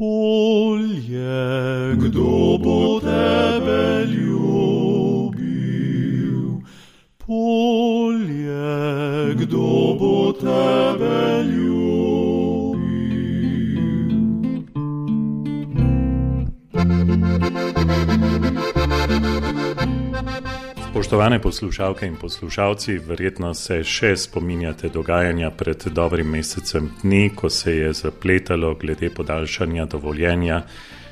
Polje, kdo bo tebe ljubil? Polje, kdo bo tebe ljubil? Spoštovane poslušalke in poslušalci, verjetno se še spominjate dogajanja pred dobrim mesecem dni, ko se je zapletalo glede podaljšanja dovoljenja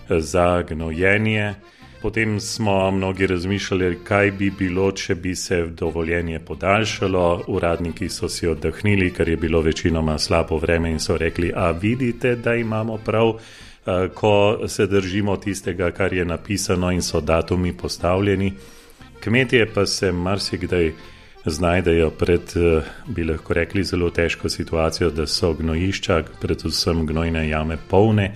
za gnojenje. Potem smo mnogi razmišljali, kaj bi bilo, če bi se dovoljenje podaljšalo. Uradniki so si oddahnili, ker je bilo večinoma slabo vreme in so rekli, a vidite, da imamo prav, ko se držimo tistega, kar je napisano in so datumi postavljeni. Kmetje pa se marsikdaj znajdejo pred, bi lahko rekli, zelo težko situacijo, da so gnojišča, predvsem gnojne jame polne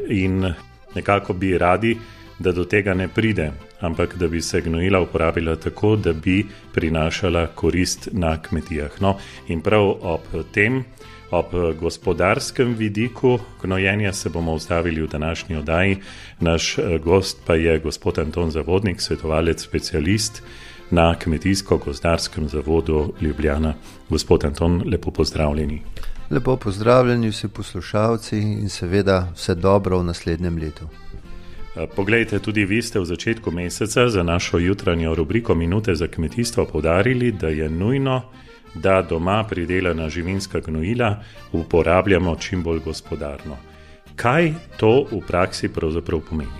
in nekako bi radi, da do tega ne pride, ampak da bi se gnojila uporabila tako, da bi prinašala korist na kmetijah. No, in prav ob tem, ob gospodarskem vidiku gnojenja se bomo ustavili v današnji oddaji. Naš gost pa je gospod Anton Zavodnik, svetovalec specialist na Kmetijsko-gozdarskem zavodu Ljubljana. Gospod Anton, lepo pozdravljeni. Lepo pozdravljeni vsi poslušalci in seveda vse dobro v naslednjem letu. Poglejte, tudi vi ste v začetku meseca za našo jutranjo rubriko Minute za kmetijstvo poudarili, da je nujno, da doma pridelana živinska gnojila uporabljamo čim bolj gospodarno. Kaj to v praksi pravzaprav pomeni?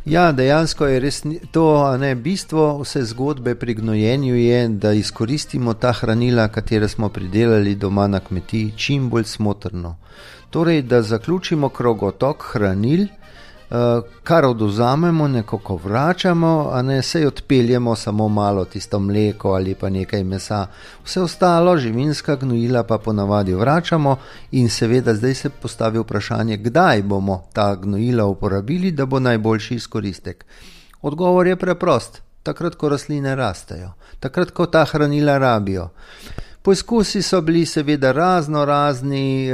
Ja, dejansko je res to, bistvo vse zgodbe pri gnojenju je, da izkoristimo ta hranila, katera smo pridelali doma na kmetiji, čim bolj smotrno. Torej, da zaključimo krogotok hranil, kar odvzamemo, nekako vračamo, sej odpeljemo samo malo tisto mleko ali pa nekaj mesa. Vse ostalo, živinska gnojila pa ponavadi vračamo in seveda zdaj se postavi vprašanje, kdaj bomo ta gnojila uporabili, da bo najboljši izkoristek. Odgovor je preprost, takrat, ko rastline rastejo, takrat, ko ta hranila rabijo. Poizkusi so bili seveda razni,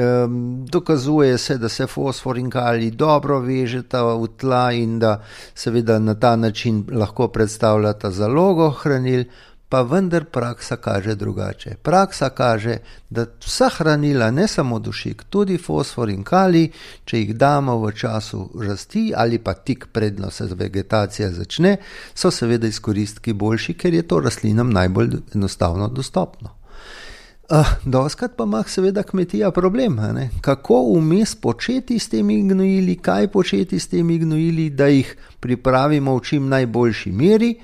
dokazuje se, da se fosfor in kalij dobro vežeta v tla in da seveda na ta način lahko predstavljata zalogo hranil, pa vendar praksa kaže drugače. Praksa kaže, da vsa hranila, ne samo dušik, tudi fosfor in kalij, če jih damo v času rasti ali pa tik predno se vegetacija začne, so seveda izkoristki boljši, ker je to rastlinam najbolj enostavno dostopno. Doskrat pa ima seveda kmetija problem, kako vmes početi s temi gnojili, kaj početi s temi gnojili, da jih pripravimo v čim najboljši meri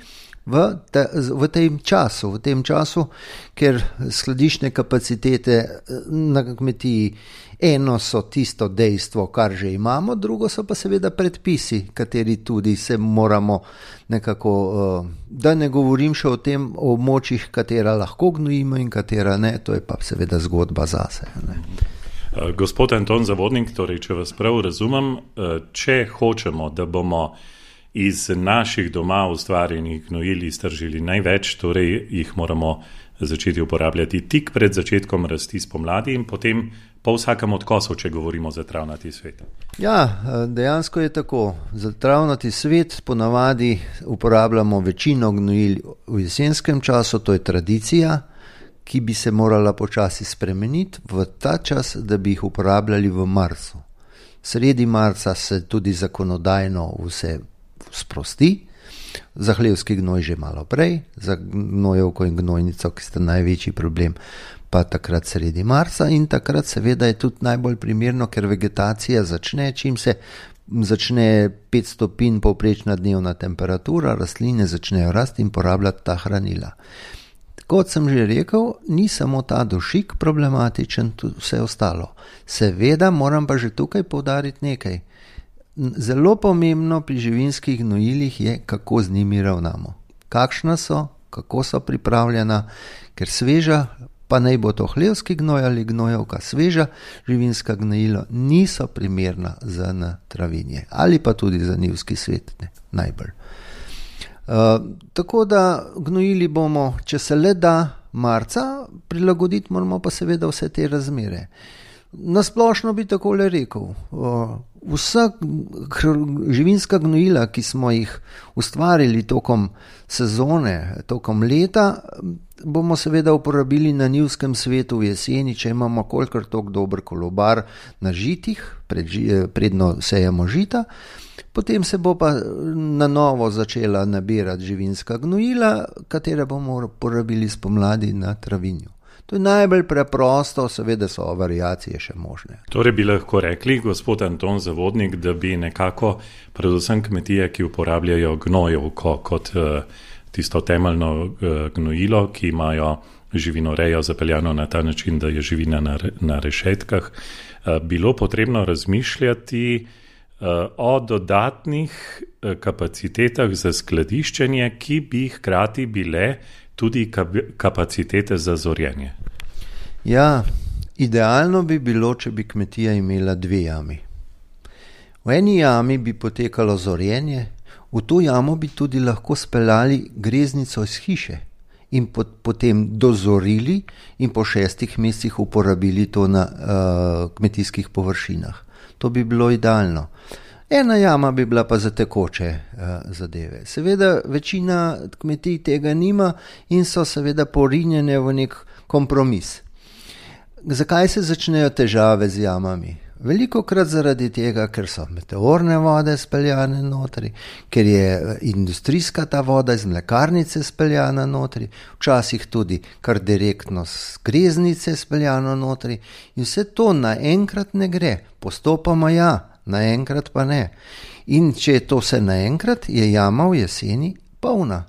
v tem času, ker skladiščne kapacitete na kmetiji, eno so tisto dejstvo, kar že imamo, drugo so pa seveda predpisi, kateri tudi se moramo nekako, da ne govorim še o tem območjih, katera lahko gnojimo in katera ne, to je pa seveda zgodba zase. Gospod Anton Zavodnik, torej, če vas prav razumem, če hočemo, da bomo iz naših doma ustvarjenih gnojil iztržili največ, torej jih moramo začeti uporabljati tik pred začetkom rasti spomladi in potem po vsakem odkosu, če govorimo za travnati svet. Ja, dejansko je tako. Za travnati svet ponavadi uporabljamo večino gnojil v jesenskem času, to je tradicija, ki bi se morala počasi spremeniti v ta čas, da bi jih uporabljali v marcu. Sredi marca se tudi zakonodajno vse sprosti, za hlevski gnoj že malo prej, za gnojevko in gnojnico, ki sta največji problem, pa takrat sredi marca in takrat seveda je tudi najbolj primerno, ker vegetacija začne, čim se začne 5 stopinj povprečna dnevna temperatura, rastline začnejo rasti in porabljati ta hranila. Kot sem že rekel, ni samo ta dušik problematičen, tudi vse ostalo. Seveda moram pa že tukaj poudariti nekaj. Zelo pomembno pri živinskih gnojilih je, kako z njimi ravnamo. Kakšna so, kako so pripravljena, ker sveža, pa naj bo to hlevski gnoj ali gnojevka, sveža živinska gnojila niso primerna za travinje ali pa tudi za njivski svet, najbolj. Tako da gnojili bomo, če se le da, marca, prilagoditi moramo pa seveda vse te razmere. Nasplošno bi takole rekel, vsa živinska gnojila, ki smo jih ustvarili tokom sezone, tokom leta, bomo seveda uporabili na njivskem svetu v jeseni, če imamo kolikor toliko dober kolobar na žitih, predno sejemo žita, potem se bo pa na novo začela nabirati živinska gnojila, katere bomo uporabili spomladi na travinju. To je najbolj preprosto, seveda so variacije še možne. Torej bi lahko rekli, gospod Anton Zavodnik, da bi nekako predvsem kmetije, ki uporabljajo gnojevko kot tisto temeljno gnojilo, ki imajo živinorejo zapeljano na ta način, da je živina na rešetkah, bilo potrebno razmišljati o dodatnih kapacitetah za skladiščenje, ki bi hkrati bile tudi kapacitete za zorjenje. Ja, idealno bi bilo, če bi kmetija imela 2 jami. V eni jami bi potekalo zorjenje, v to jamo bi tudi lahko speljali greznico iz hiše in potem dozorili in po 6 mesecih uporabili to na kmetijskih površinah. To bi bilo idealno. Ena jama bi bila pa za tekoče zadeve. Seveda večina kmetij tega nima in so seveda porinjene v nek kompromis. Zakaj se začnejo težave z jamami? Velikokrat zaradi tega, ker so meteorne vode speljane notri, ker je industrijska ta voda iz mlekarnice speljana notri, včasih tudi kar direktno z greznice speljano notri in vse to naenkrat ne gre, postopoma ja, naenkrat pa ne. In če je to vse naenkrat, je jama v jeseni polna.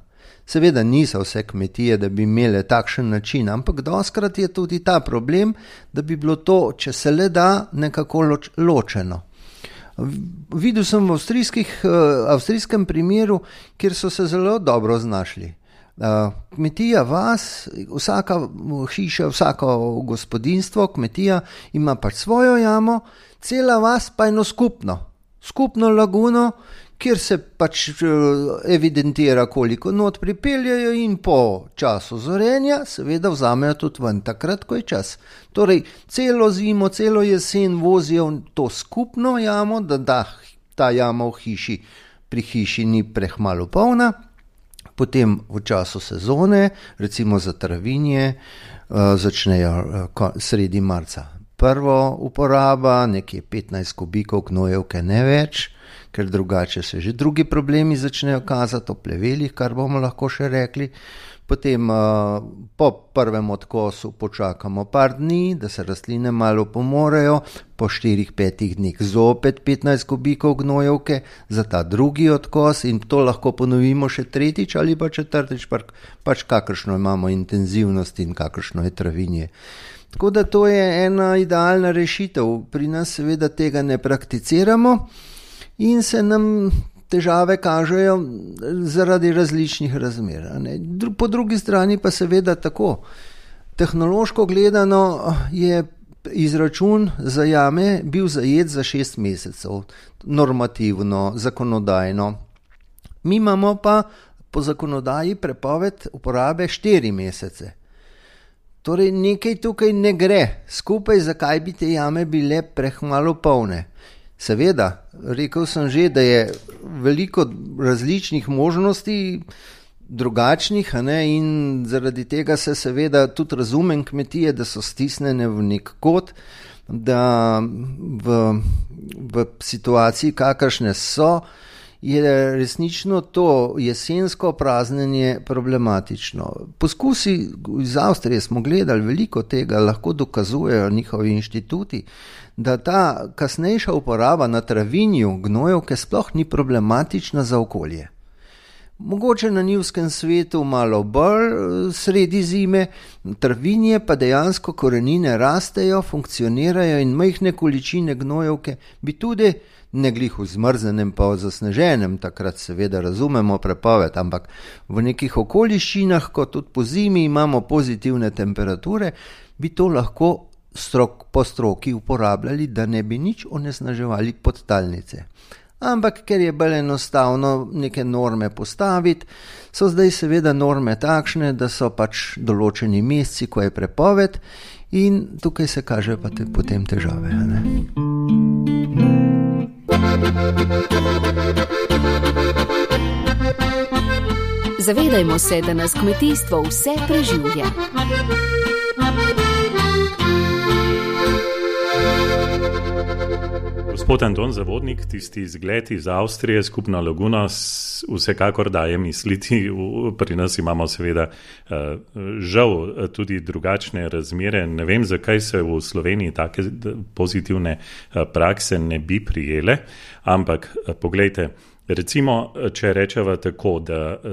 Seveda niso vse kmetije, da bi imele takšen način, ampak dostkrat je tudi ta problem, da bi bilo to, če se le da, nekako ločeno. Videl sem v avstrijskem primeru, kjer so se zelo dobro znašli. Kmetija, vas, vsaka hiša, vsako gospodinjstvo, kmetija ima pač svojo jamo, cela vas pa eno skupno laguno, kjer se pač evidentira, koliko not pripeljajo in po času zorenja seveda vzamejo tudi ven, takrat, ko je čas. Torej, celo zimo, celo jesen vozijo to skupno jamo, da ta jama v hiši, pri hiši ni prehmalo polna, potem v času sezone, recimo za travinje, začnejo sredi marca. Prvo uporaba, nekje 15 kubikov gnojevke, ne več, ker drugače se že drugi problemi začnejo kazati o plevelih, kar bomo lahko še rekli. Potem po prvem odkosu počakamo par dni, da se rastline malo pomorejo, po 4-5 dneh zopet 15 kubikov gnojevke za ta drugi odkos in to lahko ponovimo še 3. ali pa 4, pač kakršno imamo intenzivnost in kakršno je travinje. Tako da to je ena idealna rešitev. Pri nas seveda tega ne prakticiramo in se nam težave kažejo zaradi različnih razmer. Po drugi strani pa seveda tako. Tehnološko gledano je izračun za jame bil zajet za 6 mesecev, normativno, zakonodajno. Mi imamo pa po zakonodaji prepoved uporabe 4 mesece. Torej nekaj tukaj ne gre skupaj, zakaj bi te jame bile prehmalo polne. Seveda, rekel sem že, da je veliko različnih možnosti, drugačnih, in zaradi tega se seveda tudi razumem kmetije, da so stisnjene v nek kot, da v situaciji, kakršne so, je resnično to jesensko praznjenje problematično. Poskusi iz Avstrije smo gledali, veliko tega lahko dokazujejo njihovi inštituti, da ta kasnejša uporaba na travinju gnojevke sploh ni problematična za okolje. Mogoče na njivskem svetu malo bolj sredi zime, travinje pa dejansko korenine rastejo, funkcionirajo in majhne količine gnojevke bi tudi ne glih v zmrznjenem pa v zasneženem, takrat seveda razumemo prepoved, ampak v nekih okoliščinah, ko tudi po zimi imamo pozitivne temperature, bi to lahko po stroki uporabljali, da ne bi nič onesnaževali podtalnice. Ampak ker je bolj enostavno neke norme postaviti, so zdaj seveda norme takšne, da so pač določeni meseci, ko je prepoved in tukaj se kaže pa potem težave. Ne? Zavedajmo se, da nas kmetijstvo vse preživlja. Gospod Anton Zavodnik, tisti izgled iz Avstrije, skupna laguna, vsekakor daje misliti. Pri nas imamo seveda žal tudi drugačne razmere. Ne vem, zakaj se v Sloveniji take pozitivne prakse ne bi prijele, ampak poglejte, recimo, če rečeva tako,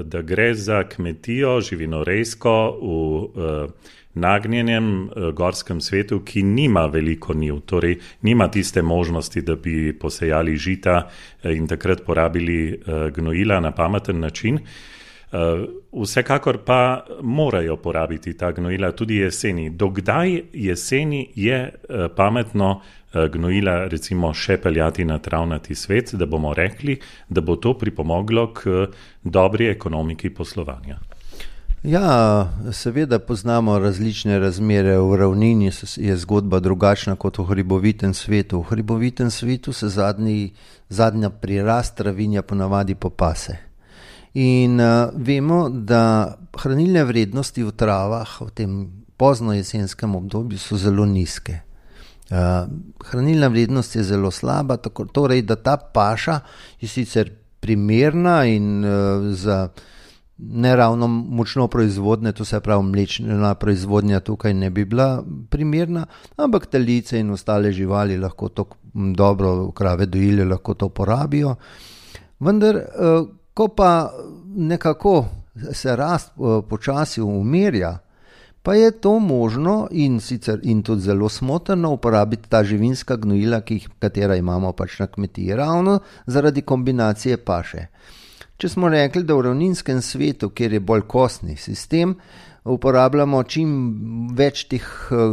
da gre za kmetijo živinorejsko v nagnjenem gorskem svetu, ki nima veliko njiv, torej nima tiste možnosti, da bi posejali žita in takrat porabili gnojila na pameten način. Vsekakor pa morajo porabiti ta gnojila tudi jeseni. Dokdaj jeseni je pametno gnojila recimo še peljati na travnati svet, da bomo rekli, da bo to pripomoglo k dobri ekonomiki poslovanja? Ja, seveda poznamo različne razmere. V ravnini je zgodba drugačna kot v hribovitem svetu. V hribovitem svetu se zadnja prirast travinja ponavadi popase. In vemo, da hranilne vrednosti v travah v tem pozno jesenskem obdobju so zelo nizke. Hranilna vrednost je zelo slaba, torej da ta paša je sicer primerna in za ne ravno močno proizvodne, to se pravi mlečna proizvodnja tukaj ne bi bila primerna, ampak telice in ostale živali lahko to dobro, krave dojile lahko to porabijo. Vendar, ko pa nekako se rast počasi umirja, pa je to možno in tudi zelo smotrno uporabiti ta živinska gnojila, katera imamo pač na kmetiji, ravno zaradi kombinacije paše. Če smo rekli, da v ravninskem svetu, kjer je bolj kostni sistem, uporabljamo čim več teh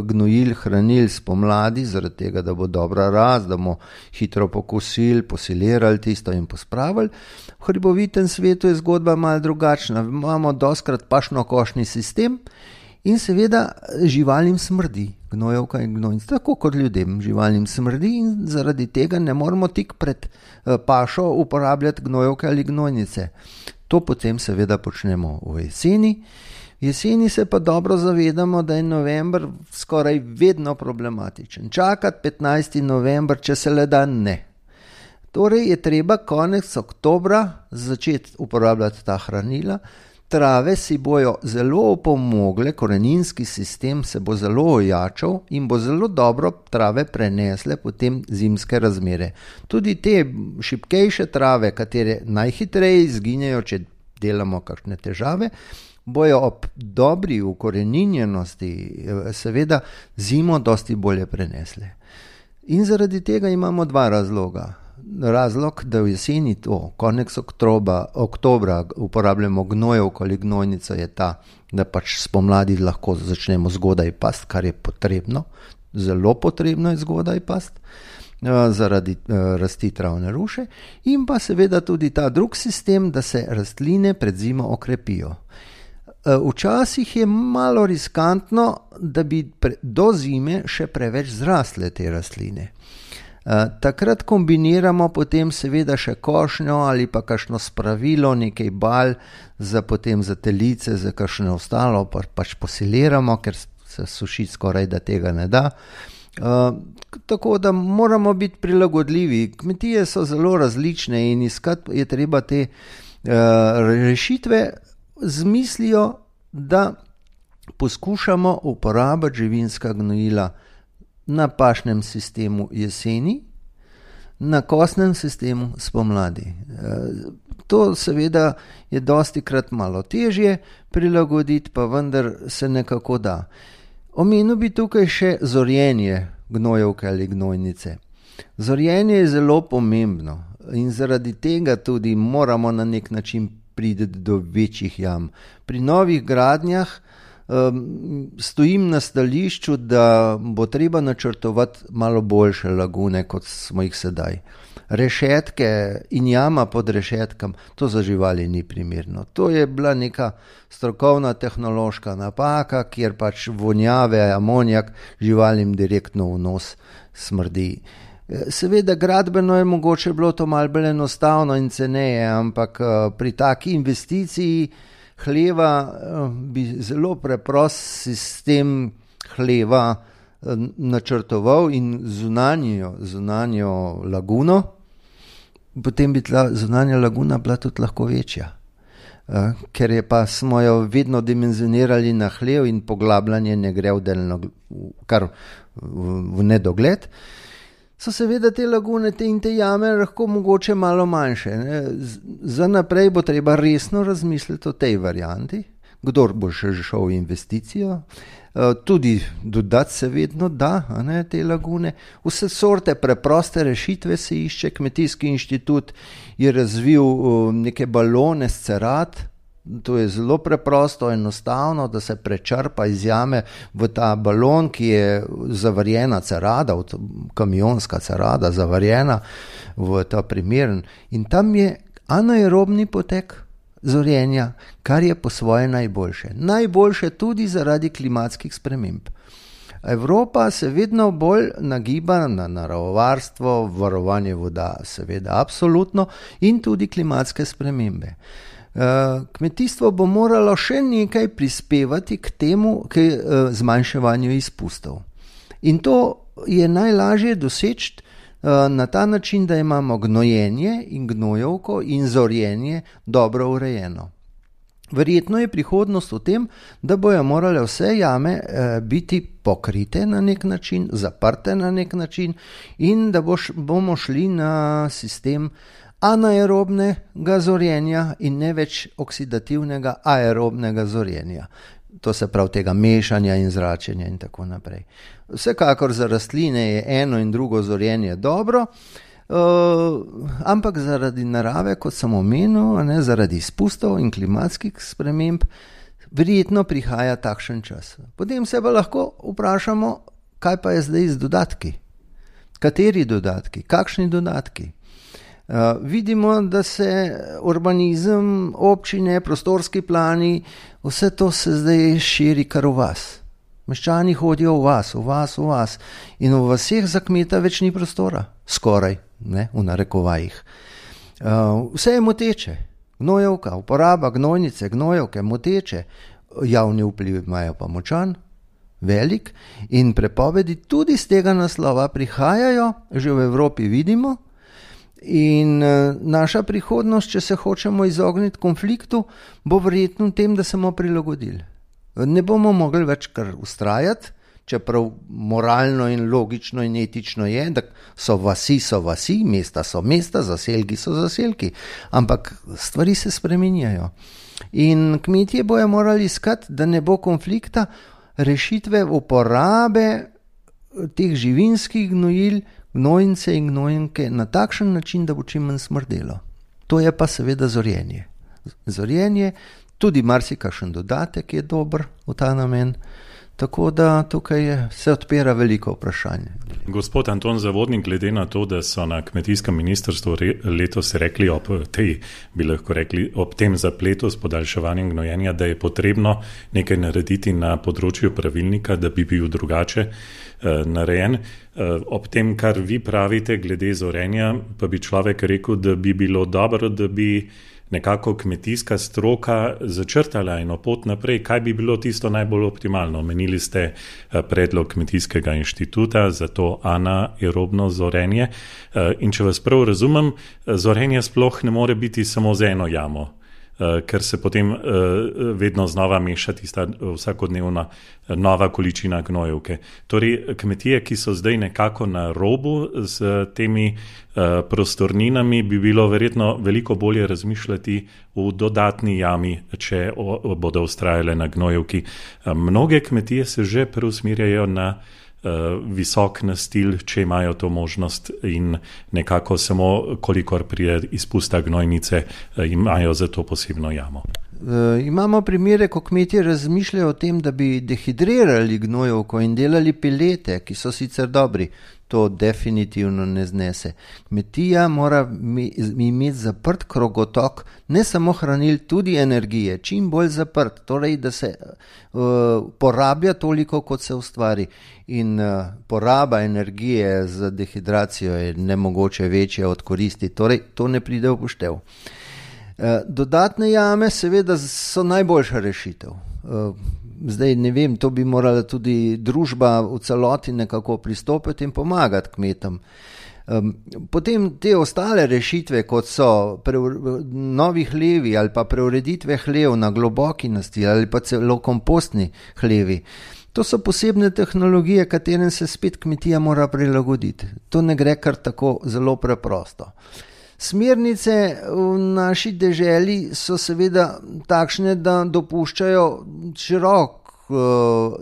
gnojil, hranil spomladi, zaradi tega, da bo dobra rast, da bomo hitro pokosili, posilirali tisto in pospravili. V hribovitem svetu je zgodba malo drugačna. Imamo doskrat pašno-košni sistem in seveda živalim smrdi, gnojevka in gnojnica, tako kot ljudem živalim smrdi in zaradi tega ne moramo tik pred pašo uporabljati gnojevke ali gnojnice. To potem seveda počnemo v jeseni. V jeseni se pa dobro zavedamo, da je november skoraj vedno problematičen. Čakati 15. november, če se le da ne. Torej je treba konec oktobra začeti uporabljati ta hranila. Trave si bojo zelo opomogle, koreninski sistem se bo zelo ojačal in bo zelo dobro trave prenesle potem zimske razmere. Tudi te šibkejše trave, katere najhitreje izginejo, če delamo kakšne težave, bojo ob dobri ukoreninjenosti seveda zimo dosti bolje prenesle. In zaradi tega imamo dva razloga. Razlog, da v jeseni konec oktobra uporabljamo gnojevko ali gnojnico je ta, da pač spomladi lahko začnemo zgodaj past, kar je potrebno, zelo potrebno je zgodaj past, zaradi rasti travne ruše in pa seveda tudi ta drug sistem, da se rastline pred zimo okrepijo. Včasih je malo riskantno, da bi do zime še preveč zrastle te rastline. Takrat kombiniramo potem seveda še košnjo ali pa kakšno spravilo, nekaj bal za telice, za kakšno ostalo, pač posiliramo, ker se sušiti skoraj da tega ne da. Tako da moramo biti prilagodljivi. Kmetije so zelo različne in iskati je treba te rešitve z mislijo, da poskušamo uporabiti živinska gnojila na pašnem sistemu jeseni, na kostnem sistemu spomladi. To seveda je dostikrat malo težje prilagoditi, pa vendar se nekako da. Omenil bi tukaj še zorjenje gnojevke ali gnojnice. Zorjenje je zelo pomembno in zaradi tega tudi moramo na nek način priti do večjih jam. Pri novih gradnjah stojim na stališču, da bo treba načrtovati malo boljše lagune, kot smo jih sedaj. Rešetke in jama pod rešetkam, to za živali ni primerno. To je bila neka strokovna tehnološka napaka, kjer pač vonjave, amonijak živalim direktno v nos smrdi. Seveda gradbeno je mogoče bilo to malo bolj enostavno in ceneje, ampak pri taki investiciji hleva bi zelo preprost sistem hleva načrtoval in zunanjo laguno, potem bi ta zunanja laguna bila tudi lahko večja. Ker je pa smo jo vedno dimenzionirali na hlev in poglabljanje ne gre kar v nedogled, so seveda te lagune in te jame lahko mogoče malo manjše. Za naprej bo treba resno razmisliti o tej varianti, kdor bo še šel v investicijo, tudi dodati se vedno da, te lagune. Vse sorte preproste rešitve se išče, Kmetijski inštitut je razvil neke balone s cerat, to je zelo preprosto, enostavno, da se prečrpa iz jame v ta balon, ki je zavarjena cerada, kamionska cerada, zavarjena v ta primeren. In tam je anaerobni potek zorenja, kar je po svoje najboljše. Najboljše tudi zaradi klimatskih sprememb. Evropa se vedno bolj nagiba na naravovarstvo, varovanje voda, seveda absolutno, in tudi klimatske spremembe. Kmetijstvo bo moralo še nekaj prispevati k temu, k zmanjševanju izpustov. In to je najlažje doseči na ta način, da imamo gnojenje in gnojevko in zorjenje dobro urejeno. Verjetno je prihodnost v tem, da bojo morale vse jame biti pokrite na nek način, zaprte na nek način in da bomo šli na sistem anaerobnega zorjenja in ne več oksidativnega aerobnega zorjenja. To se pravi tega mešanja in zračenja in tako naprej. Vsekakor za rastline je eno in drugo zorjenje dobro, ampak zaradi narave, kot sem omenil, zaradi izpustov in klimatskih sprememb, verjetno prihaja takšen čas. Potem se pa lahko vprašamo, kaj pa je zdaj z dodatki? Kateri dodatki? Kakšni dodatki? Vidimo, da se urbanizem, občine, prostorski plani, vse to se zdaj širi kar v vas. Meščani hodijo v vas in v vaseh za kmeta več ni prostora, skoraj, v narekovajih. Vse je moteče, gnojevka, uporaba gnojnice, gnojevke, moteče, javni vpliv imajo pa močan, velik in prepovedi tudi z tega naslova prihajajo, že v Evropi vidimo. In naša prihodnost, če se hočemo izogniti konfliktu, bo verjetno v tem, da se bomo prilagodili. Ne bomo mogli več kar ustrajati, čeprav moralno in logično in etično je, da so vasi, mesta so mesta, zaselki so zaselki, ampak stvari se spreminjajo. In kmetje bojo morali iskati, da ne bo konflikta, rešitve uporabe teh živinskih gnojil, gnojnice in gnojenke na takšen način, da bo čim manj smrdelo. To je pa seveda zorjenje. Zorjenje, tudi marsikakšen dodatek je dober v ta namen, tako da tukaj se odpira veliko vprašanje. Gospod Anton Zavodnik, glede na to, da so na kmetijskem ministrstvu letos rekli ob tem zapletu s podaljševanjem gnojenja, da je potrebno nekaj narediti na področju pravilnika, da bi bil drugače narejen. Ob tem, kar vi pravite glede zorenja, pa bi človek rekel, da bi bilo dobro, da bi nekako kmetijska stroka začrtala eno pot naprej, kaj bi bilo tisto najbolj optimalno. Omenili ste predlog Kmetijskega inštituta za to anaerobno zorenje. In če vas prav razumem, zorenje sploh ne more biti samo z eno jamo, ker se potem vedno znova meša tista vsakodnevna nova količina gnojevke. Torej, kmetije, ki so zdaj nekako na robu z temi prostorninami, bi bilo verjetno veliko bolje razmišljati v dodatni jami, če bodo vztrajale na gnojevki. Mnoge kmetije se že preusmirjajo na visok nastil, če imajo to možnost in nekako samo, kolikor prije izpusta gnojnice, imajo za to posebno jamo. Imamo primere, ko kmetje razmišljajo o tem, da bi dehidrirali gnojevko in delali pelete, ki so sicer dobri. To definitivno ne znese. Kmetija mora imeti zaprt krogotok, ne samo hranil, tudi energije, čim bolj zaprt, torej da se porablja toliko, kot se ustvari. In poraba energije za dehidracijo je nemogoče večja od koristi, torej to ne pride v poštev. Dodatne jame seveda so najboljša rešitev. Zdaj ne vem, to bi morala tudi družba v celoti nekako pristopiti in pomagati kmetom. Potem te ostale rešitve, kot so novi hlevi ali pa preureditve hlev na globoki nastil ali pa celo kompostni hlevi, to so posebne tehnologije, katerim se spet kmetija mora prilagoditi. To ne gre kar tako zelo preprosto. Smernice v naši deželi so seveda takšne, da dopuščajo širok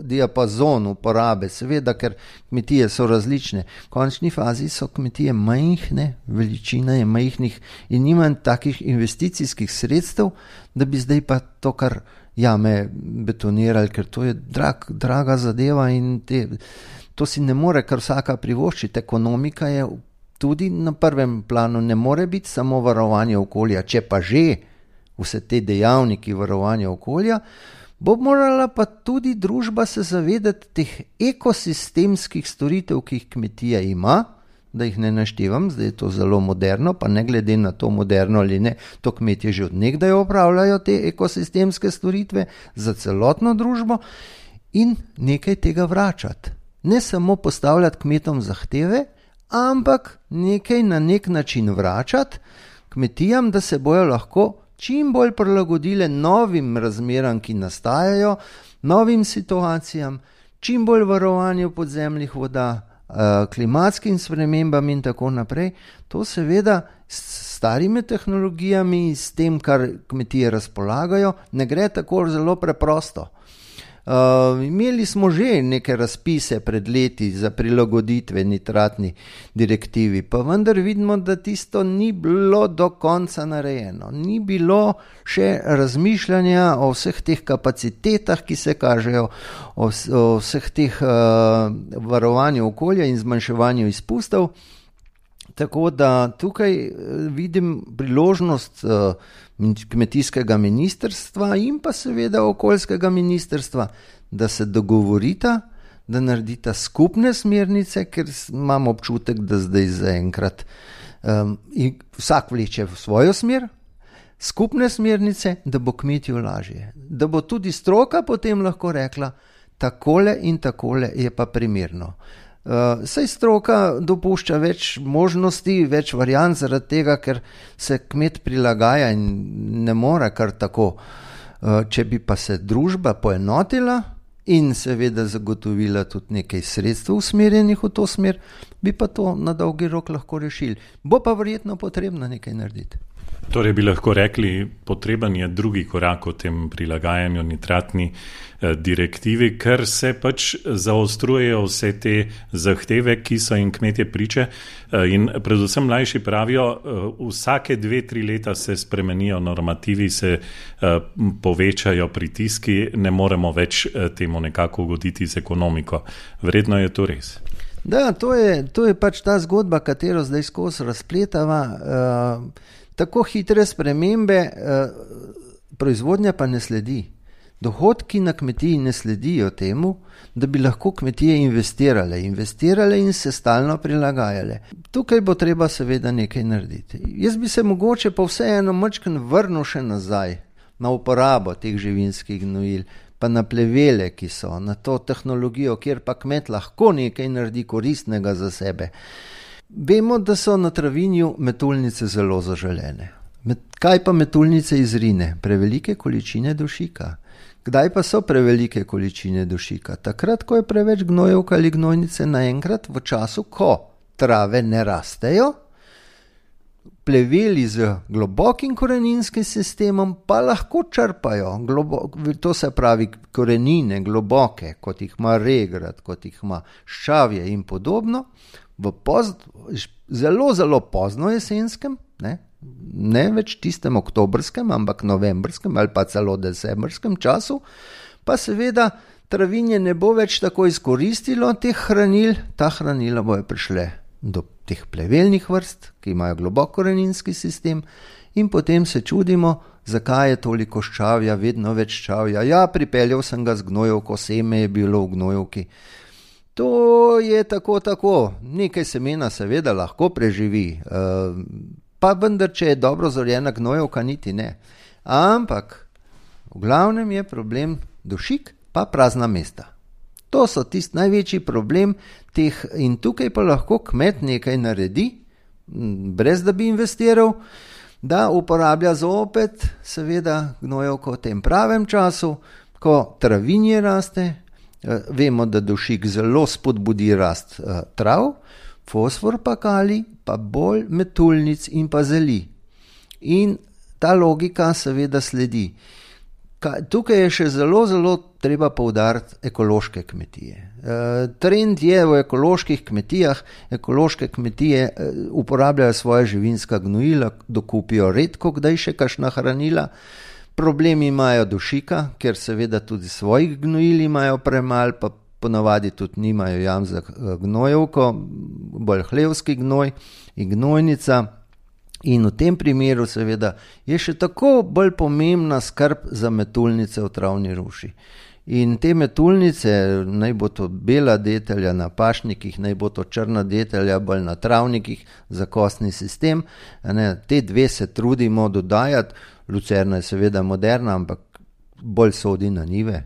diapazon uporabe, seveda, ker kmetije so različne. V končni fazi so kmetije majhne, veličina je majhnih in nima takih investicijskih sredstev, da bi zdaj pa to kar jame betonirali, ker to je draga zadeva in to si ne more kar vsaka privoščiti. Ekonomika je tudi na prvem planu, ne more biti samo varovanje okolja, če pa že vse te dejavniki varovanja okolja, bo morala pa tudi družba se zavedati teh ekosistemskih storitev, ki jih kmetija ima, da jih ne naštevam, zdaj je to zelo moderno, pa ne glede na to moderno ali ne, to kmetje že od nekdaj opravljajo te ekosistemske storitve za celotno družbo in nekaj tega vračati. Ne samo postavljati kmetom zahteve, ampak nekaj na nek način vračati kmetijam, da se bojo lahko čim bolj prilagodile novim razmeram, ki nastajajo, novim situacijam, čim bolj varovanju podzemnih voda, klimatskim spremembam in tako naprej. To seveda s starimi tehnologijami, s tem, kar kmetije razpolagajo, ne gre tako zelo preprosto. Imeli smo že neke razpise pred leti za prilagoditve nitratni direktivi, pa vendar vidimo, da tisto ni bilo do konca narejeno. Ni bilo še razmišljanja o vseh teh kapacitetah, ki se kažejo, o vseh teh varovanju okolja in zmanjševanju izpustov. Tako da tukaj vidim priložnost kmetijskega ministrstva in pa seveda okoljskega ministrstva, da se dogovorita, da naredita skupne smernice, ker imam občutek, da zdaj zaenkrat vsak vleče v svojo smer, skupne smernice, da bo kmetiju lažje, da bo tudi stroka potem lahko rekla, takole in takole je pa primerno. Saj stroka dopušča več možnosti, več variant zaradi tega, ker se kmet prilagaja in ne more kar tako. Če bi pa se družba poenotila in seveda zagotovila tudi nekaj sredstev usmerjenih v to smer, bi pa to na dolgi rok lahko rešili. Bo pa verjetno potrebno nekaj narediti. Torej bi lahko rekli, potreben je drugi korak o tem prilagajanju nitratni direktivi, ker se pač zaostrujejo vse te zahteve, ki so jim kmetje priče in predvsem mlajši pravijo, vsake 2-3 leta se spremenijo normativi, se povečajo pritiski, ne moremo več temu nekako ugoditi z ekonomiko. Verjetno je to res. Da, to je pač ta zgodba, katero zdaj skozi razpletava. Tako hitre spremembe, proizvodnja pa ne sledi. Dohodki na kmetiji ne sledijo temu, da bi lahko kmetije investirale in se stalno prilagajale. Tukaj bo treba seveda nekaj narediti. Jaz bi se mogoče pa vseeno majčkeno vrnil še nazaj na uporabo teh živinskih gnojil, pa na plevele, ki so, na to tehnologijo, kjer pa kmet lahko nekaj naredi koristnega za sebe. Vemo, da so na travinju metulnice zelo zaželene. Kaj pa metulnice izrine? Prevelike količine dušika. Kdaj pa so prevelike količine dušika? Takrat, ko je preveč gnojevk ali gnojnice naenkrat, v času, ko trave ne rastejo, pleveli z globokim koreninskim sistemom pa lahko črpajo, to se pravi korenine globoke, kot jih ima regrat, kot jih ima ščavje in podobno, v zelo, zelo pozno jesenskem, ne več tistem oktobrskem, ampak novembrskem ali pa celo decembrskem času, pa seveda travinje ne bo več tako izkoristilo teh hranil, ta hranila bojo prišle do teh plevelnih vrst, ki imajo globok koreninski sistem, in potem se čudimo, zakaj je toliko ščavja, vedno več ščavja. Ja, pripeljal sem ga z gnojevko, seme je bilo v gnojevki. To je tako, nekaj semena seveda lahko preživi, pa vendar, če je dobro zorjena gnojevka, niti ne. Ampak v glavnem je problem dušik pa prazna mesta. To so tisti največji problem teh, in tukaj pa lahko kmet nekaj naredi, brez da bi investiral, da uporablja zopet seveda gnojevko v tem pravem času, ko travinje raste. Vemo, da dušik zelo spodbudi rast trav, fosfor pa kalij, pa bolj metulnic in pa zeli. In ta logika seveda sledi. Tukaj je še zelo treba poudariti ekološke kmetije. Trend je v ekoloških kmetijah, ekološke kmetije uporabljajo svoje živinska gnojila, dokupijo redko kdaj še kakšna hranila. Problemi imajo dušika, ker seveda tudi svojih gnojil imajo premalo, pa ponavadi tudi nimajo jam za gnojevko, bolj hlevski gnoj in gnojnica. In v tem primeru seveda je še tako bolj pomembna skrb za metulnice v travni ruši. In te metulnice, naj bo to bela detelja na pašnikih, naj bo to črna detelja bolj na travnikih za kostni sistem, te dve se trudimo dodajati. Lucerna je seveda moderna, ampak bolj sodi na njive,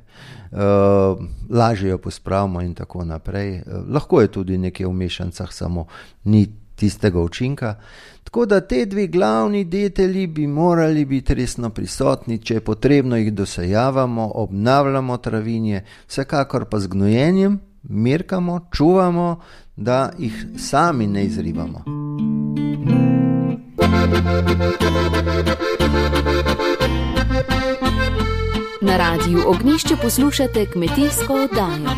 lažje jo pospravimo in tako naprej. Lahko je tudi nekaj v mešancah, samo ni tistega učinka. Tako da te dve glavni detelji bi morali biti resno prisotni, če je potrebno jih dosejavamo, obnavljamo travinje, vsekakor pa z gnojenjem merkamo, čuvamo, da jih sami ne izrivamo. Na Radiu Ognjišče poslušate kmetijsko oddajo.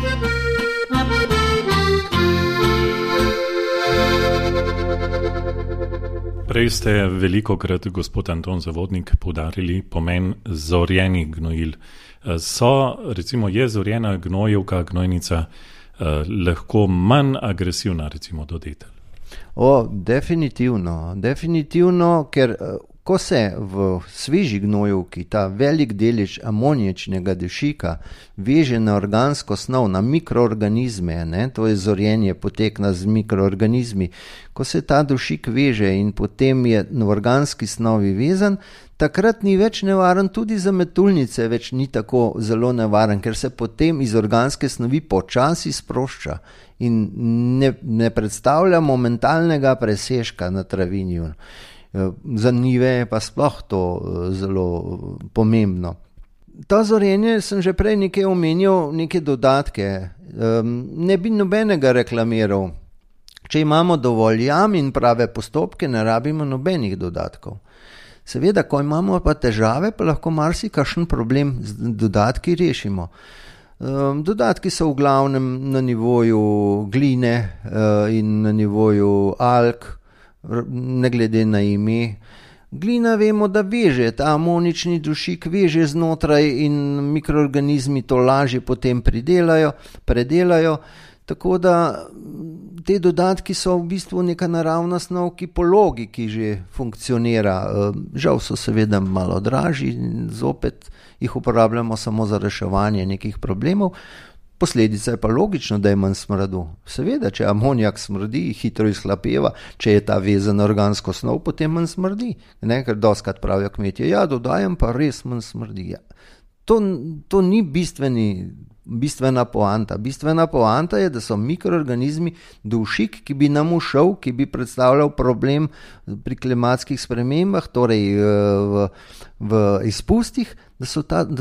Prej ste velikokrat, gospod Anton Zavodnik, poudarili pomen zorjenih gnojil. Je zorjena gnojevka, gnojnica lahko manj agresivna, recimo, do detelj? Definitivno, ker ko se v sveži gnojevki ta velik delež amoniječnega dušika veže na organsko snov, na mikroorganizme, to je zorjenje potekna z mikroorganizmi, ko se ta dušik veže in potem je v organski snovi vezan, takrat ni več nevaren, tudi za metulnice več ni tako zelo nevaren, ker se potem iz organske snovi počasi sprošča in ne predstavlja momentalnega presežka na travinju. Za njive je pa sploh to zelo pomembno. To zorjenje sem že prej nekaj omenil, neke dodatke. Ne bi nobenega reklamiral. Če imamo dovolj jam in prave postopke, ne rabimo nobenih dodatkov. Seveda, ko imamo pa težave, pa lahko marsikakšen problem z dodatki rešimo. Dodatki so v glavnem na nivoju gline in na nivoju alg, ne glede na ime. Glina vemo, da veže, ta amonični dušik veže znotraj in mikroorganizmi to lažje potem predelajo, tako da te dodatki so v bistvu neka naravna snov, ki po logiki že funkcionira. Žal so seveda malo dražji, zopet jih uporabljamo samo za reševanje nekih problemov. Posledica je pa logično, da je manj smradu. Seveda, če amonijak smrdi, hitro izhlapeva, če je ta vezan organsko snov, potem manj smrdi. Ker dostikrat pravijo kmetje, dodajam pa res manj smrdi. To ni bistvena poanta. Bistvena poanta je, da so mikroorganizmi dušik, ki bi nam ušel, ki bi predstavljal problem pri klimatskih spremembah, torej v izpustih, da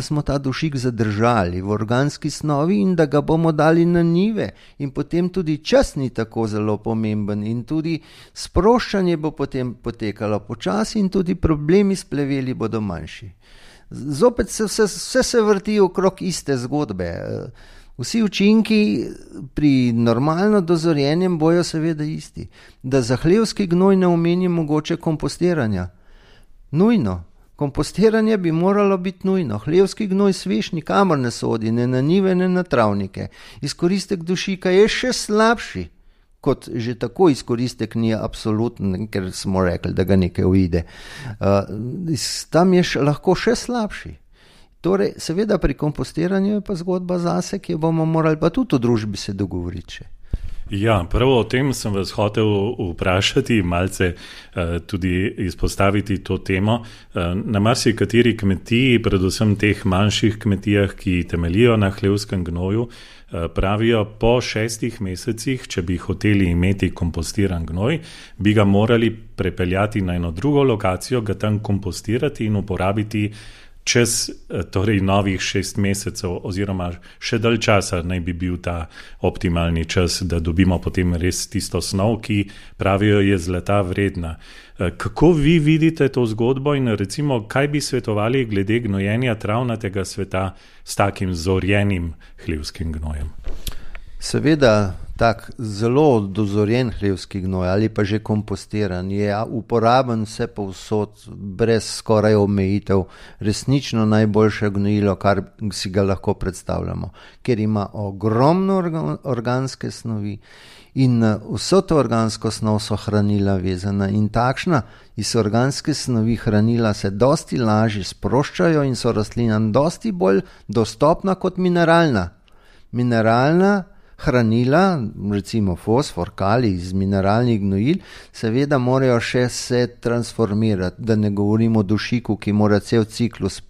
smo ta dušik zadržali v organski snovi in da ga bomo dali na njive. In potem tudi čas ni tako zelo pomemben in tudi sproščanje bo potem potekalo počasi in tudi problemi s pleveli bodo manjši. Zopet vse se vrti okrog iste zgodbe. Vsi učinki pri normalno dozorjenjem bojo seveda isti. Da za hlevski gnoj ne omeni mogoče kompostiranja. Nujno. Kompostiranje bi moralo biti nujno. Hlevski gnoj svež nikamor ne sodi, ne na njive, ne na travnike. Izkoristek dušika je še slabši, kot že tako izkoristek ni absoluten, ker smo rekli, da ga nekaj uide. Tam je lahko še slabši. Torej, seveda pri kompostiranju je pa zgodba zase, ki jo bomo morali pa tudi v družbi se dogovoriti še. Ja, prvo o tem sem vas hotel vprašati, malce tudi izpostaviti to temo. Na marsikateri kmetiji, predvsem teh manjših kmetijah, ki temeljijo na hlevskem gnoju, pravijo, po 6 mesecih, če bi hoteli imeti kompostiran gnoj, bi ga morali prepeljati na eno drugo lokacijo, ga tam kompostirati in uporabiti čez torej novih 6 mesecev oziroma še dalj časa naj bi bil ta optimalni čas, da dobimo potem res tisto snov, ki pravijo je zlata vredna. Kako vi vidite to zgodbo in recimo, kaj bi svetovali glede gnojenja travnatega sveta s takim zorjenim hlevskim gnojem? Seveda, tak zelo dozorjen hlevski gnoj ali pa že kompostiran je uporaben vse povsod, brez skoraj omejitev, resnično najboljše gnojilo, kar si ga lahko predstavljamo, ker ima ogromno organske snovi in vso to organsko snov so hranila vezana in takšna iz organske snovi hranila se dosti lažje sproščajo in so rastlinam dosti bolj dostopna kot mineralna. Mineralna hranila, recimo fosfor, kalij iz mineralnih gnojil, seveda morajo še se transformirati, da ne govorimo o dušiku, ki mora cel ciklus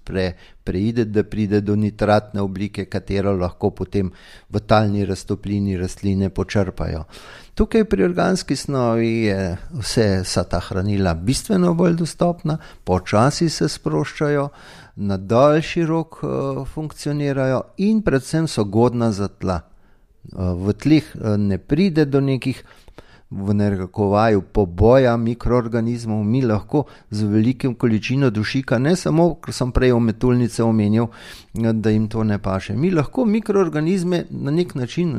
preideti, da pride do nitratne oblike, katero lahko potem v talni raztoplini rastline počrpajo. Tukaj pri organski snovi je vsa ta hranila bistveno bolj dostopna, počasi se sproščajo, na daljši rok funkcionirajo in predvsem so godna za tla. V tleh ne pride do nekih, v narekovaju, poboja mikroorganizmov, mi lahko z velikim količino dušika, ne samo, ker sem prej o metulnice omenil, da jim to ne paše, mi lahko mikroorganizme na nek način,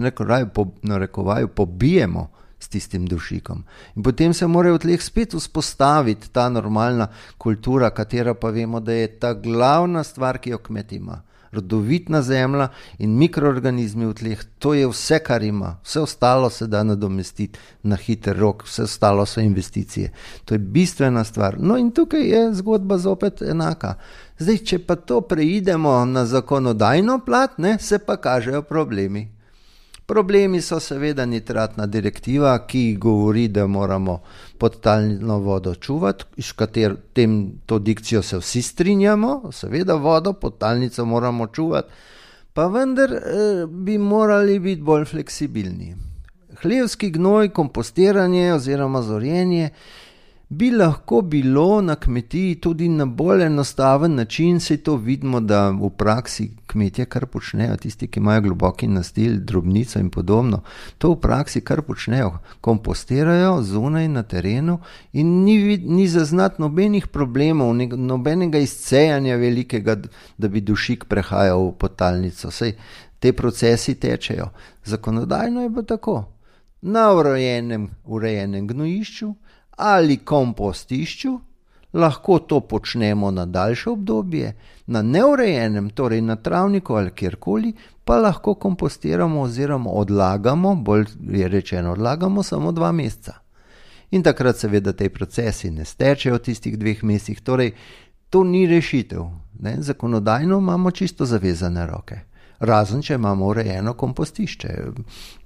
narekovaju, pobijemo s tistim dušikom. In potem se morajo v tleh spet vzpostaviti ta normalna kultura, katera pa vemo, da je ta glavna stvar, ki jo kmet ima. Rodovitna zemlja in mikroorganizmi v tleh, to je vse, kar ima. Vse ostalo se da nadomestiti na hiter rok, vse ostalo so investicije. To je bistvena stvar. No in tukaj je zgodba zopet enaka. Zdaj, če pa to preidemo na zakonodajno plat, se pa kažejo problemi. Problemi so seveda nitratna direktiva, ki govori, da moramo podtalno vodo čuvati, s katero to dikcijo se vsi strinjamo, seveda vodo, podtalnico moramo čuvati, pa vendar bi morali biti bolj fleksibilni. Hlevski gnoj, kompostiranje oziroma zorjenje bi lahko bilo na kmetiji tudi na bolj enostaven način, saj to vidimo, da v praksi kmetje kar počnejo, tisti, ki imajo globoki nastil, drobnico in podobno, to v praksi kar počnejo, kompostirajo zunaj na terenu in ni zaznati nobenih problemov, nobenega izcejanja velikega, da bi dušik prehajal v podtalnico, saj te procesi tečejo. Zakonodajno je pa tako, na urejenem gnojišču ali kompostišču, lahko to počnemo na daljše obdobje, na neurejenem, torej na travniku ali kjerkoli, pa lahko kompostiramo oziroma odlagamo, bolj je rečeno odlagamo samo 2 meseca. In takrat seveda te procesi ne stečejo v tistih 2 mesecih, torej to ni rešitev. Zakonodajno imamo čisto zavezane roke. Razen, če imamo urejeno kompostišče.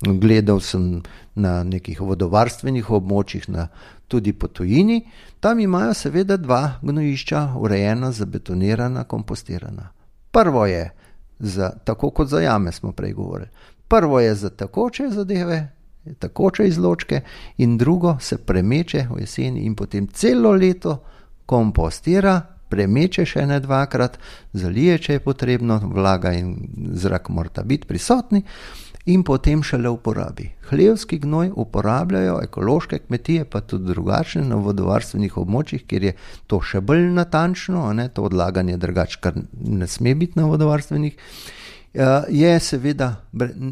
Gledal sem na nekih vodovarstvenih območjih, tudi po tujini, tam imajo seveda 2 gnojišča urejena, zabetonirana, kompostirana. Prvo je, tako kot za jame smo prej govorili, prvo je za tekoče zadeve, tekoče izločke in drugo se premeče v jeseni in potem celo leto kompostira, premeče še ne 2-krat, zalije, če je potrebno, vlaga in zrak morata biti prisotni in potem šele uporabi. Hlevski gnoj uporabljajo ekološke kmetije, pa tudi drugačne na vodovarstvenih območjih, kjer je to še bolj natančno, to odlaganje drugače, kar ne sme biti na vodovarstvenih, je seveda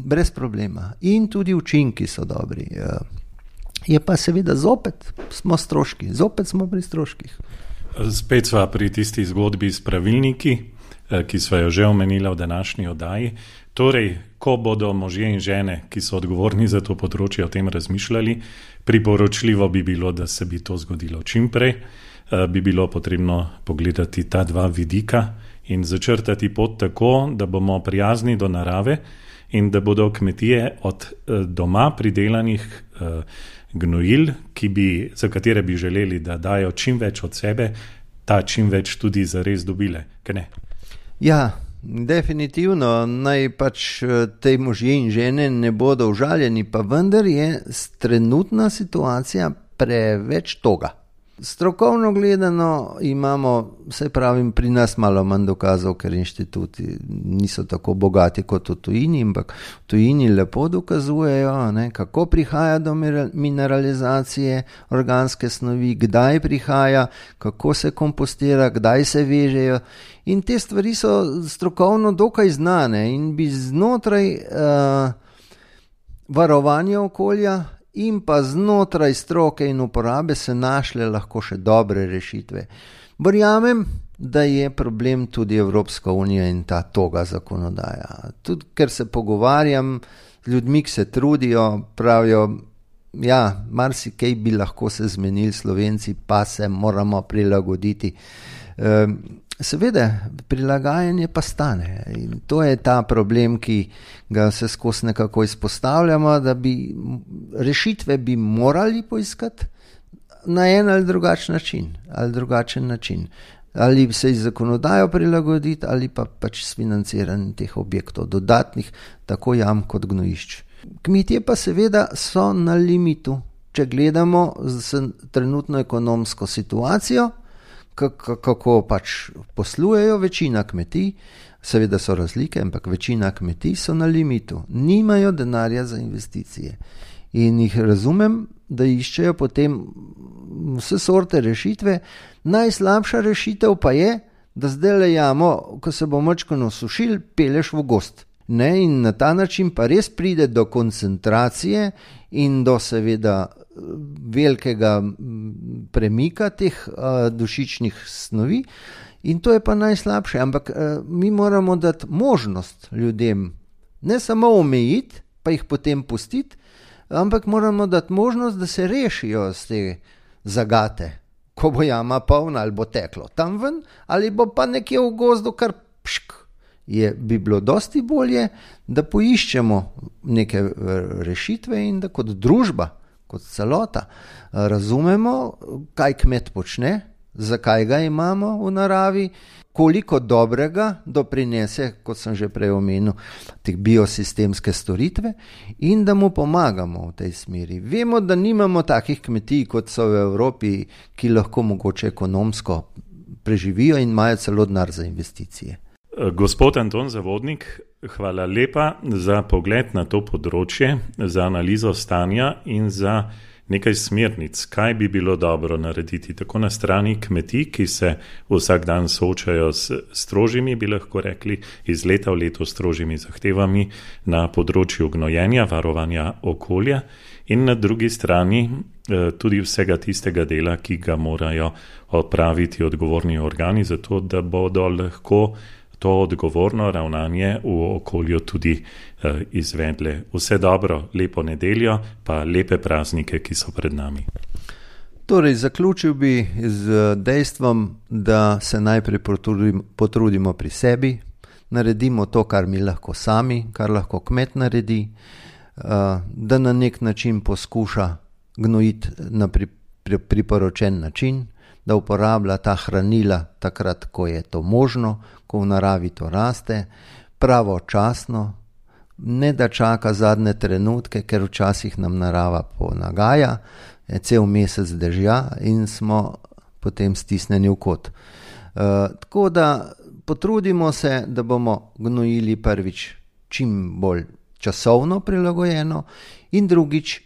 brez problema in tudi učinki so dobri. Je pa seveda zopet smo pri stroških. Spet sva pri tisti zgodbi s pravilniki, ki sva jo že omenila v današnji oddaji. Torej, ko bodo možje in žene, ki so odgovorni za to področje, o tem razmišljali, priporočljivo bi bilo, da se bi to zgodilo čim prej. Bi bilo potrebno pogledati ta dva vidika in začrtati pot tako, da bomo prijazni do narave in da bodo kmetije od doma pridelanih gnojil, za katere bi želeli, da dajo čim več od sebe, ta čim več tudi zares dobile. Kaj ne? Ja, definitivno. Naj pač te možje in žene ne bodo užaljeni, pa vendar je trenutna situacija preveč toga. Strokovno gledano imamo, saj pravim, pri nas malo manj dokazov, ker inštituti niso tako bogati kot v tujini, ampak v tujini lepo dokazujejo, kako prihaja do mineralizacije organske snovi, kdaj prihaja, kako se kompostira, kdaj se vežejo. In te stvari so strokovno dokaj znane in bi znotraj varovanja okolja in pa znotraj stroke in uporabe se našle lahko še dobre rešitve. Verjamem, da je problem tudi Evropska unija in ta toga zakonodaja. Tudi ker se pogovarjam z ljudmi, ki se trudijo, pravijo, ja, marsikaj bi lahko se zmenili, Slovenci pa se moramo prilagoditi. Seveda, prilagajanje pa stane in to je ta problem, ki ga se skozi nekako izpostavljamo, da bi rešitve bi morali poiskati na en ali drugačen način. Ali se iz zakonodajo prilagoditi ali pa pač s financiranjem teh objektov, dodatnih, tako jam kot gnojišč. Kmetije pa seveda so na limitu, če gledamo z trenutno ekonomsko situacijo, kako pač poslujejo večina kmetij, seveda so razlike, ampak večina kmetij so na limitu, nimajo denarja za investicije in jih razumem, da iščejo potem vse sorte rešitve. Najslabša rešitev pa je, da zdaj le jamo, ko se bo majčkeno sušil, peleš v gozd. In na ta način pa res pride do koncentracije in do seveda velikega premika teh dušičnih snovi in to je pa najslabše, ampak mi moramo dati možnost ljudem, ne samo omejiti, pa jih potem pustiti, ampak moramo dati možnost, da se rešijo z te zagate, ko bo jama polna ali bo teklo tam ven, ali bo pa nekje v gozdu kar pšk. Bi bilo dosti bolje, da poiščemo neke rešitve in da kot družba, kot celota, razumemo, kaj kmet počne, zakaj ga imamo v naravi, koliko dobrega doprinese, kot sem že prej omenil, te biosistemske storitve in da mu pomagamo v tej smeri. Vemo, da nimamo takih kmetij, kot so v Evropi, ki lahko mogoče ekonomsko preživijo in imajo celo denar za investicije. Gospod Anton Zavodnik, hvala lepa za pogled na to področje, za analizo stanja in za nekaj smernic, kaj bi bilo dobro narediti tako na strani kmetij, ki se vsak dan soočajo s strožjimi, bi lahko rekli, iz leta v leto strožjimi zahtevami na področju gnojenja, varovanja okolja in na drugi strani tudi vsega tistega dela, ki ga morajo opraviti odgovorni organi, zato da bodo lahko to odgovorno ravnanje v okolju tudi izvedle. Vse dobro, lepo nedeljo, pa lepe praznike, ki so pred nami. Torej, zaključil bi z dejstvom, da se najprej potrudimo pri sebi, naredimo to, kar mi lahko sami, kar lahko kmet naredi, da na nek način poskuša gnojiti na priporočen način, da uporablja ta hranila takrat, ko je to možno, ko v naravi to raste, pravočasno, ne da čaka zadnje trenutke, ker včasih nam narava ponagaja, je cel mesec dežja in smo potem stisnjeni v kot. Tako da potrudimo se, da bomo gnojili prvič čim bolj časovno prilagojeno in drugič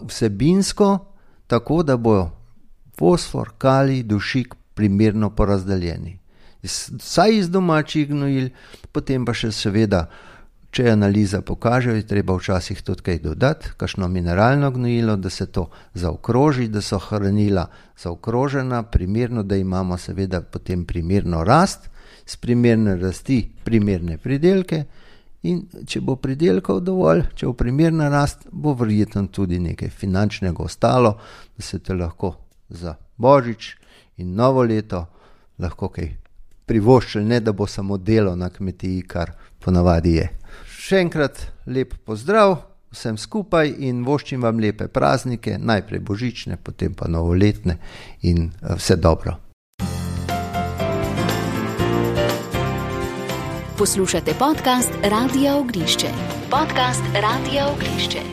vsebinsko, tako da bojo fosfor, kalij, dušik primerno porazdeljeni. Vsaj iz domačih gnojil, potem pa še seveda, če analiza pokaže, je treba včasih tudi kaj dodati, kakšno mineralno gnojilo, da se to zaokroži, da so hranila zaokrožena, primerno, da imamo seveda potem primerno rast, s primerne rasti primerne pridelke in če bo pridelkov dovolj, če bo primerna rast, bo verjetno tudi nekaj finančnega ostalo, da se te lahko za Božič in novo leto lahko kaj privoščili, ne da bo samo delo na kmetiji, kar ponavadi je. Še enkrat lep pozdrav vsem skupaj in voščim vam lepe praznike, najprej božične, potem pa novoletne in vse dobro. Poslušate podcast Radia Ognjišče. Podcast Radia Ognjišče.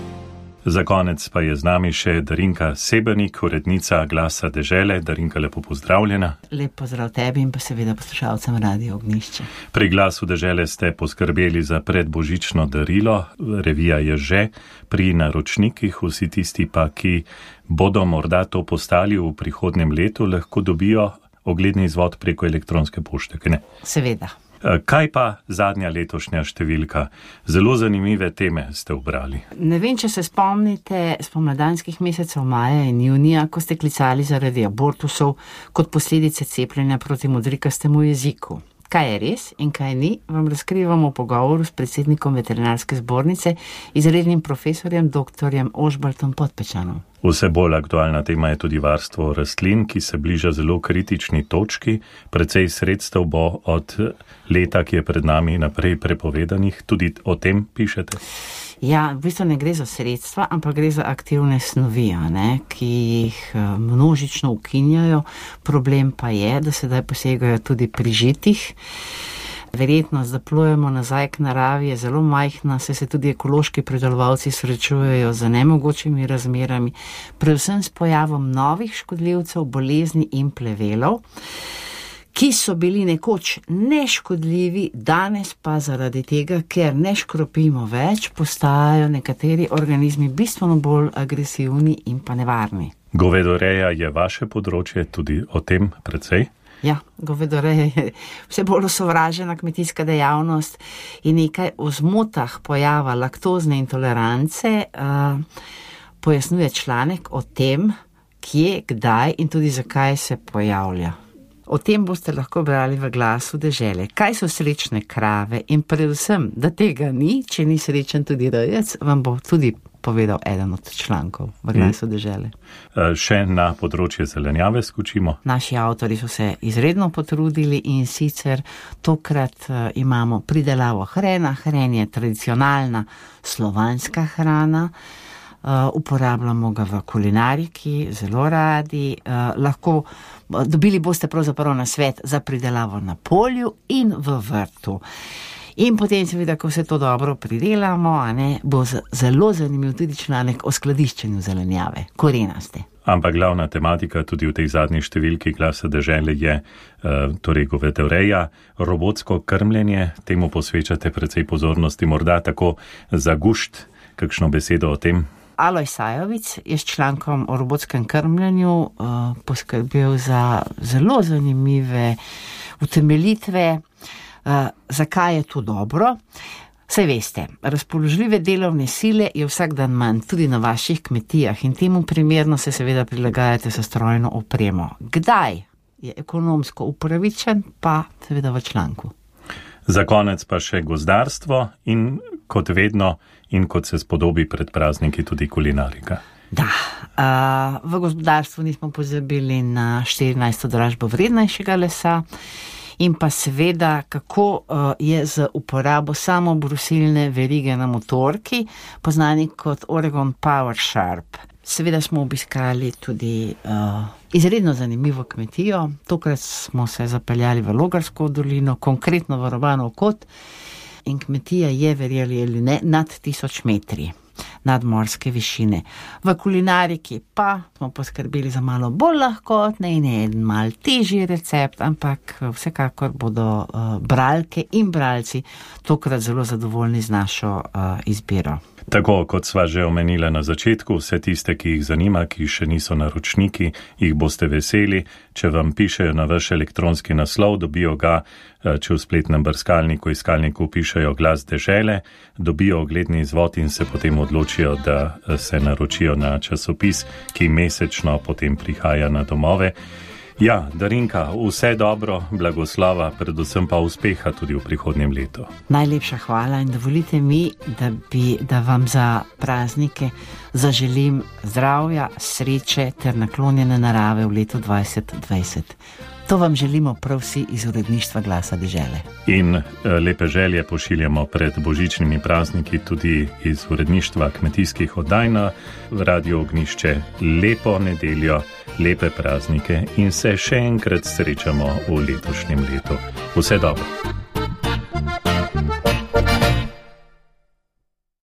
Za konec pa je z nami še Darinka Sebernik, urednica Glasa dežele. Darinka, lepo pozdravljena. Lep pozdrav tebi in pa seveda poslušalcem Radia Ognjišče. Pri Glasu dežele ste poskrbeli za predbožično darilo. Revija je že pri naročnikih. Vsi tisti pa, ki bodo morda to postali v prihodnjem letu, lahko dobijo ogledni izvod preko elektronske pošte, ne? Seveda. Kaj pa zadnja letošnja številka? Zelo zanimive teme ste ubrali. Ne vem, če se spomnite spomladanskih mesecev maja in junija, ko ste klicali zaradi abortusov kot posledice cepljenja proti modrikastemu jeziku. Kaj je res in kaj ni, vam razkrivamo v pogovoru s predsednikom veterinarske zbornice, izrednim profesorjem dr. Ožbaltom Podpečanom. Vse bolj aktualna tema je tudi varstvo rastlin, ki se bliža zelo kritični točki. Precej sredstev bo od leta, ki je pred nami, naprej prepovedanih. Tudi o tem pišete? Ja, v bistvu ne gre za sredstva, ampak gre za aktivne snovi, ki jih množično ukinjajo. Problem pa je, da sedaj posegajo tudi pri žitih. Verjetnost, da plujemo nazaj k naravi, je zelo majhna, saj se tudi ekološki pridelovalci srečujejo z nemogočimi razmerami, predvsem s pojavom novih škodljivcev, bolezni in plevelov, ki so bili nekoč neškodljivi, danes pa zaradi tega, ker ne škropimo več, postajajo nekateri organizmi bistveno bolj agresivni in pa nevarni. Govedoreja je vaše področje, tudi o tem precej? Ja, govedoreja je vse bolj osovražena kmetijska dejavnost in nekaj o zmotah pojava laktozne intolerance pojasnjuje članek o tem, kje, kdaj in tudi zakaj se pojavlja. O tem boste lahko brali v Glasu dežele. Kaj so srečne krave in predvsem, da tega ni, če ni srečen tudi rejec, vam bo tudi povedal eden od člankov v Glasu dežele. Še na področje zelenjave skočimo. Naši avtori so se izredno potrudili in sicer tokrat imamo pridelavo hrena. Hren je tradicionalna slovanska hrana. Uporabljamo ga v kulinariki, zelo radi. Dobili boste pravzaprav nasvet za pridelavo na polju in v vrtu. In potem seveda, ko vse to dobro pridelamo, bo zelo zanimiv tudi članek o skladiščenju zelenjave, korenaste. Ampak glavna tematika tudi v tej zadnji številki Glasa dežele je torej govedoreja, robotsko krmljenje. Temu posvečate precej pozornosti, morda tako za gušt. Kakšno besedo o tem? Aloj Sajovic je s člankom o robotskem krmljenju poskrbel za zelo zanimive utemeljitve, zakaj je to dobro. Saj veste, razpoložljive delovne sile je vsak dan manj, tudi na vaših kmetijah in temu primerno se seveda prilagajate s strojno opremo. Kdaj je ekonomsko upravičen, pa seveda v članku. Za konec pa še gozdarstvo in kot vedno in kot se spodobi pred prazniki tudi kulinarika. Da, v gospodarstvu nismo pozabili na 14. dražbo vrednejšega lesa in pa seveda, kako je z uporabo samobrusilne verige na motorki, poznani kot Oregon Power Sharp. Seveda smo obiskali tudi izredno zanimivo kmetijo. Tokrat smo se zapeljali v Logarsko dolino, konkretno v Robanov kot, in kmetija je, verjeli ali ne, nad 1000 metri nadmorske višine. V kulinariki pa smo poskrbeli za malo bolj lahkotne in en mal težji recept, ampak vsekakor bodo bralke in bralci tokrat zelo zadovoljni z našo izbiro. Tako kot sva že omenila na začetku, vse tiste, ki jih zanima, ki še niso naročniki, jih boste veseli. Če vam pišejo na vaš elektronski naslov, dobijo ga, če v spletnem brskalniku, iskalniku pišejo Glas dežele, dobijo ogledni izvod in se potem odločijo, da se naročijo na časopis, ki mesečno potem prihaja na domove. Ja, Darinka, vse dobro, blagoslova, predvsem pa uspeha tudi v prihodnjem letu. Najlepša hvala in dovolite mi, da vam za praznike zaželim zdravja, sreče ter naklonjene narave v letu 2020. To vam želimo prav vsi iz uredništva Glasa dežele. In lepe želje pošiljamo pred božičnimi prazniki tudi iz uredništva kmetijskih oddaj na Radio Ognjišče. Lepo nedeljo, lepe praznike in se še enkrat srečamo v letošnjem letu. Vse dobro.